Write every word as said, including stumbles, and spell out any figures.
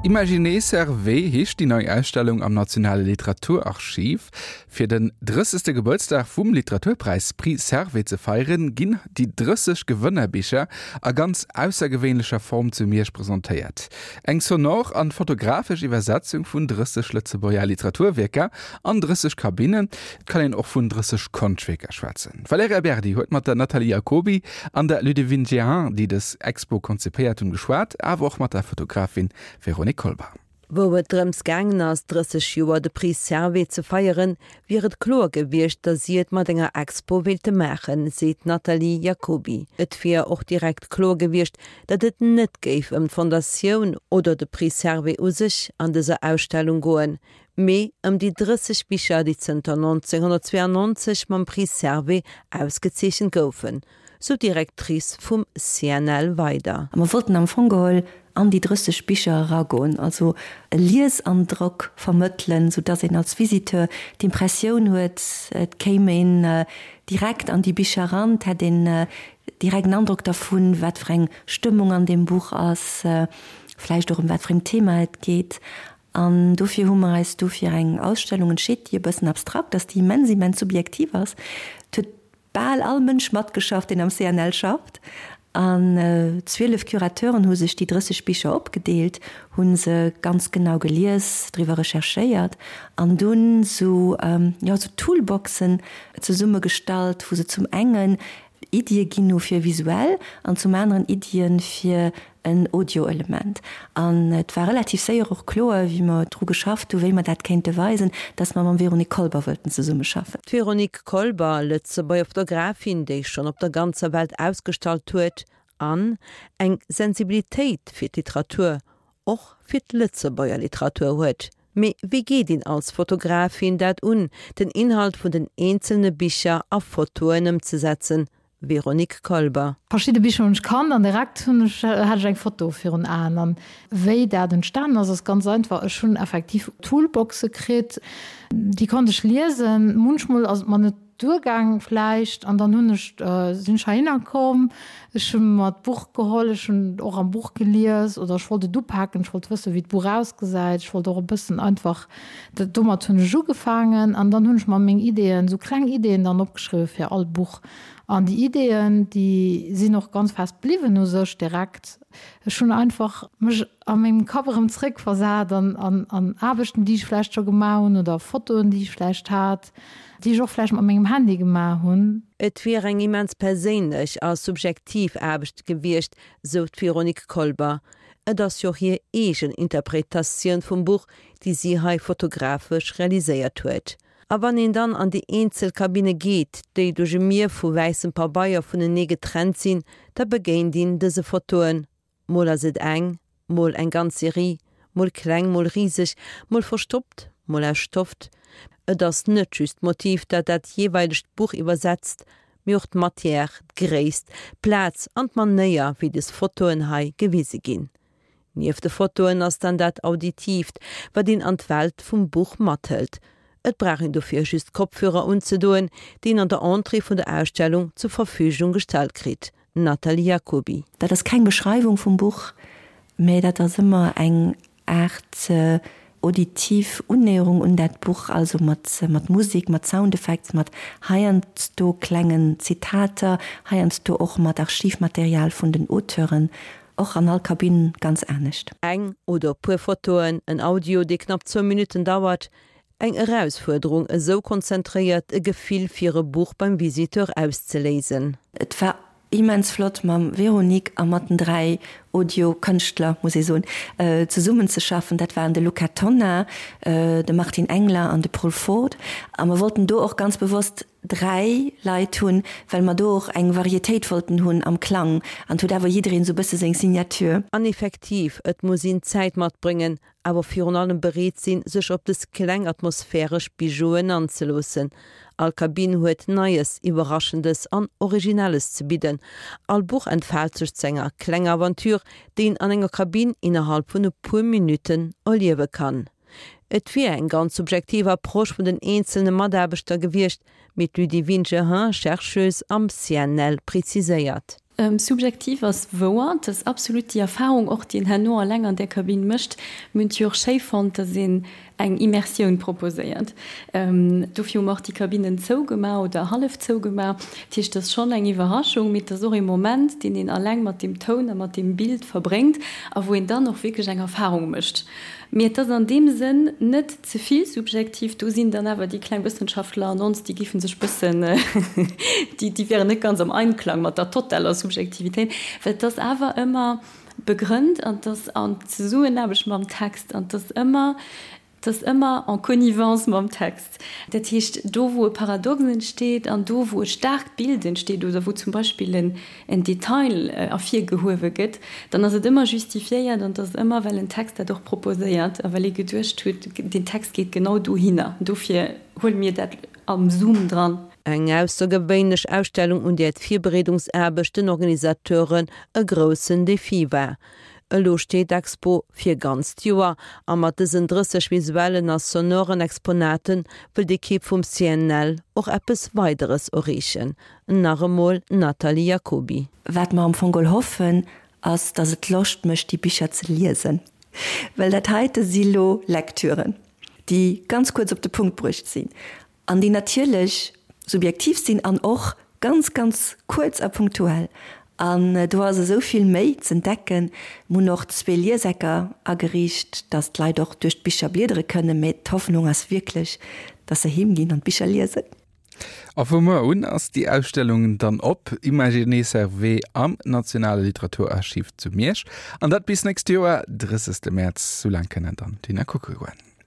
Imaginer Servais heescht déi nei Ausstellung am Nationale Literaturarchiv. Fir den drëssegste Gebuertsdag vum Literaturpräis Prix Servais ze feieren, ginn déi drësseg Gewënnerbicher a ganz aussergewéinlecher Form zu Miersch presentéiert. Eng sonor an fotografesch Iwwersetzung vun drësseg Lëtzebuerger Literaturwierker an drësseg Kabinnen, et kann een och vun drësseg Konschtwierker schwätzen. D'Valerija Berdi huet mat der Nathalie Jacoby an der Ludivine Jehan, déi dës Expo konzipéiert hunn, geschwat, awer och mat der Fotografin Véronique Kolber. Wou et drëms gaangen ass, drësseg Joer de Prix Servais ze feieren, wier et kloer gewiescht, datt si et mat enger Expo wéilte maachen, seet d'Nathalie Jacoby. Et wier och direkt kloer gewiescht, datt et net géif ëm d'Fondatioun oder de Prix Servais u sech an dëser Ausstellung goen, mee ëm déi drësseg Bicher, déi zënter nonzénghonnertzweeanonzeg mam Prix Servais ausgezeechent goufen, sou d'Directrice vum C N L weider. A mer wollten am Fong geholl an déi drësseg Bicher eragoen, also e Liesandrock vermëttelen, sou dass een als Visiteur d'Impressioun huet, et kéim een direkt an déi Bicher eran, et hätt een direkt en Androck dervun, wat fir eng Stëmmung an deem Buch ass, vläicht och ëm wat fir en Thema et geet. An dofir hu mer eis du fir eng Ausstellung entscheet, déi e bëssen abstrakt ass, déi immens, immens subjektiv ass. Et huet bal all Mënsch matgeschafft, deen am C N L schafft. An zwielef Curateuren hu sech déi drësseg Bicher opgedeelt, hu se ganz genau gelies, driwwer recherchéiert an dunn sou, jo, sou Toolboxen zesummegestallt, wou se zum engen Iddie ginn hu fir visuell an zum aneren Iddien fir en Audioelement. An et war relativ séier och kloer, wéi mer dru geschafft hu wéi mer dat kéinte weisen, dass mer mam Véronique Kolber wëllten zesummeschaffen. D'Véronique Kolber, Lëtzebuerger Fotografin, déi schonn op der ganzer Welt ausgestallt huet an eng Sensibilitéit fir d'Literatur, och fir d'Lëtzebuerger Literatur huet. Mee wéi geet een als Fotografin dat un, den Inhalt vun den eenzelne Bicher a Fotoen ëmzesetzen? Véronique Kolber. Verschidde Bicher hunn ech kannt an direkt hunn ech, hat ech eng Foto virun Aen. An wéi dat entstanen ass, ass ganz einfach, Ech hunn effektiv Toolboxe kritt, déi konnt ech liesen. Munchmol ass et mer net duergaang vläicht an dann hunn ech, sinn ech heihinner komm, ech hu mer d'Buch geholl, ech hunn och am Buch gelies oder ech wollt et upaken, ech wollt wëssen, wéi d'Buch ausgesäit, ech wollt och e bëssen einfach, domat hunn ech ugefaangen an dann hunn ech mer meng Ideeën, esou kleng Ideeën dann opgeschriwwen fir all Buch. An déi Ideeën, déi sinn och ganz fest bliwwen u sech direkt. Ech hunn einfach mech a mengem Kapp erëm zréckversat an an an Aarbechten, déi ech vläicht scho gemaach hunn oder Fotoen, déi ech vläicht hat, déi ech och vläicht mat mengem Handy gemaach hunn. Et wier eng immens perséinlech a subjektiv Aarbecht gewiescht, sou d'Véronique Kolber. Et ass jo hir eegen Interpretatioun vum Buch, déi si hei fotografesch realiséiert huet. A wann een dann an déi eenzel Kabinne geet, déi duerch e Mier vu wäissem Pabeier vunenee getrennt sinn, da begéint een dëse Fotoen. Mol ass et eng, mol eng ganz Serie, mol kleng, mol riseg, mol verstoppt, mol aus Stoff. Et ass net just d'Motiv, dat dat jeeweilegt Buch iwwersetzt, mee och d'Matière, d'Gréisst, d'Plaz an d'Manéier, wéi dës Fotoen hei gewise ginn. Nieft de Fotoen ass dann dat Auditiivt, wat een an d'Welt vum Buch mathëlt. Et brauch een dofir just Kopfhörer unzedoen, déi een an der Entrée vun der Ausstellung zur Verfügung gestallt kritt. Nathalie Jacoby. Dat ass keng Beschreiwung vum Buch, mä dat ass ëmmer eng Aart auditiv Unnäherung un dat Buch, also mat mat Musek, mat Soundeffects, mat heiansdo klengen Zitater, heiansdo och mat Archivmaterial vun den Auteuren, och an all Kabinn ganz anescht. Eng oder e puer Fotoen, en Audio, dee knapp zwou Minutten dauert, eng Erausfuerderung, esou konzentréiert e Gefill fir e Buch beim Visiteur auszeléisen. Et war immens flott mam Véronique a mat den dräi Audio-Kënschtler, muss ee soen, zesummenzeschaffen. Dat waren de Luca Tonna, de Martin Engler an de Paul Ford. A mer wollten do och ganz bewosst dräi Leit hunn, well mer do och eng Varietéit wollten hunn am Klang. An et huet awer jiddereen esou e bësse seng Signature. An effektiv, et muss een Zäit matbréngen, awer virun allem bereet sinn, sech op dës kleng atmosphäresch Bijouen anzeloossen. All Kabinn huet Neies, Iwwerraschendes an Originelles ze bidden. All Buch entfaalt sech zu enger klenger Aventure, déi een an enger Kabinn innerhalb vun e puer Minutten erliewe kann. Et wier eng ganz subjektiv Approche vun den eenzelne Mataarbechter gewiescht, mee d'Ludivine Jehin, Chercheuse am C N L, preziséiert. Subjektiv ass wouer, et ass absolut déi Erfarung och, déi een herno alleng an där Kabinn mécht. Mir hunn et jo och schéi fonnt, datt een eng Immersioun proposéiert. Dofir hu mer och déi Kabinnen zougemaach oder hallef zougemaach. Dat heescht, et ass schonn eng Iwwerraschung, mee et ass och ee Moment, deen een alleng mat deem Toun a mat deem Bild verbréngt a wou een dann och wierklech eng Erfarung mécht. Mee et ass an deem Sënn net ze vill subjektiv. Do sinn dann awer déi kleng Wëssenschaftler an ons, déi géife sech bëssen, déi, déi wären net ganz am Einklang mat der totaler Subjektivitéit, well et ass awer ëmmer begrënnt an et ass an Zesummenaarbecht mam Text an et ass ëmmer, et ass ëmmer en connivence mam Text. Dat heescht, do wou e Paradox entsteet an do wou e staarkt Bild entsteet oder wou zum Beispill en, en Detail ervirgehuewe gëtt, dann ass et ëmmer justifiéiert an et ass ëmmer, well en Text dat och proposéiert a well ee geduecht huet, deen Text geet genau dohinner, dofir huele mir dat am Zoom dran. Eng aussergewéinlech Ausstellung, un där d'Virbereedungsaarbecht den Organisateuren e groussen Defi war. Elo steet d'Expo fir ganzt Joer a mat dësen drësseg visuellen a sonoren Exponaten wëll d'Ekipp vum C N L och eppes Weideres erreechen. Nach emol d'Nathalie Jacoby. Wat mer am Fong geholl hoffen, ass, dass et Loscht mécht, déi Bicher ze liesen. Well dat heite si lo Lektüren, déi ganz kuerz op de Punkt bruecht sinn an déi natierlech subjektiv sinn an och ganz, ganz kuerz a punktuell. An do ass esou vill méi z'entdecken. Mir hunn och zwee Liesecker ageriicht, dass d'Leit och duerch d'Bicher bliedere kënnen. Mee d'Hoffnung ass wierklech, dass se heem ginn an d'Bicher liesen. A vu muer un ass déi Ausstellung dann op, Imaginer Servais am Nationale Literaturarchiv zu Miersch. An dat bis nächst Joer, drëssegste Mäerz, soulaang kënnen dann d'Leit kucke goen.